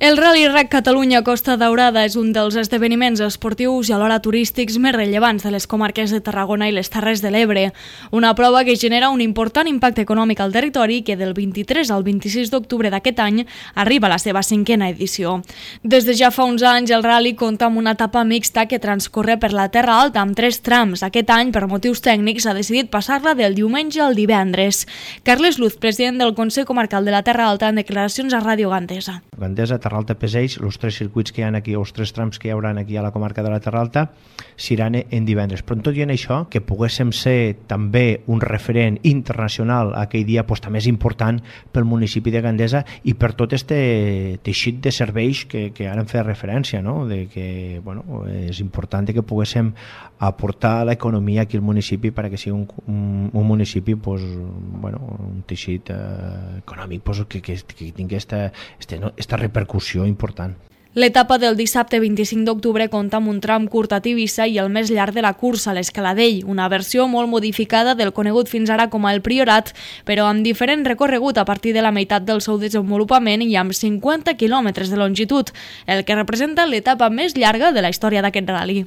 El Rally RAC Catalunya Costa Daurada és un dels esdeveniments esportius i alhora turístics més rellevants de les comarques de Tarragona i les Terres de l'Ebre. Una prova que genera un important impacte econòmic al territori que del 23 al 26 d'octubre d'aquest any arriba a la seva 5a edició. Des de ja fa uns anys el rally compta amb una etapa mixta que transcorre per la Terra Alta amb 3 trams. Aquest any, per motius tècnics, s'ha decidit passar-la del diumenge al divendres. Carles Luz, president del Consell Comarcal de la Terra Alta, en declaracions a Ràdio Gandesa. Gandesa, Terra Alta, Peseix, els 3 circuits que hi ha aquí, els 3 trams que hi haurà aquí a la comarca de la Terra Alta, s'iran en divendres. Però tot i en això, que poguéssim ser també un referent internacional aquell dia, també és important pel municipi de Gandesa i per tot este teixit de serveis que ara hem fet referència, no? De que, és important que poguéssim aportar a l'economia aquí al municipi perquè sigui un municipi, un teixit econòmic que tingui esta repercussió important. L'etapa del dissabte 25 d'octubre compta amb un tram curt a Tivissa i el més llarg de la cursa, l'Escaladell, una versió molt modificada del conegut fins ara com el Priorat, però amb diferent recorregut a partir de la meitat del seu desenvolupament i amb 50 quilòmetres de longitud, el que representa l'etapa més llarga de la història d'aquest rally.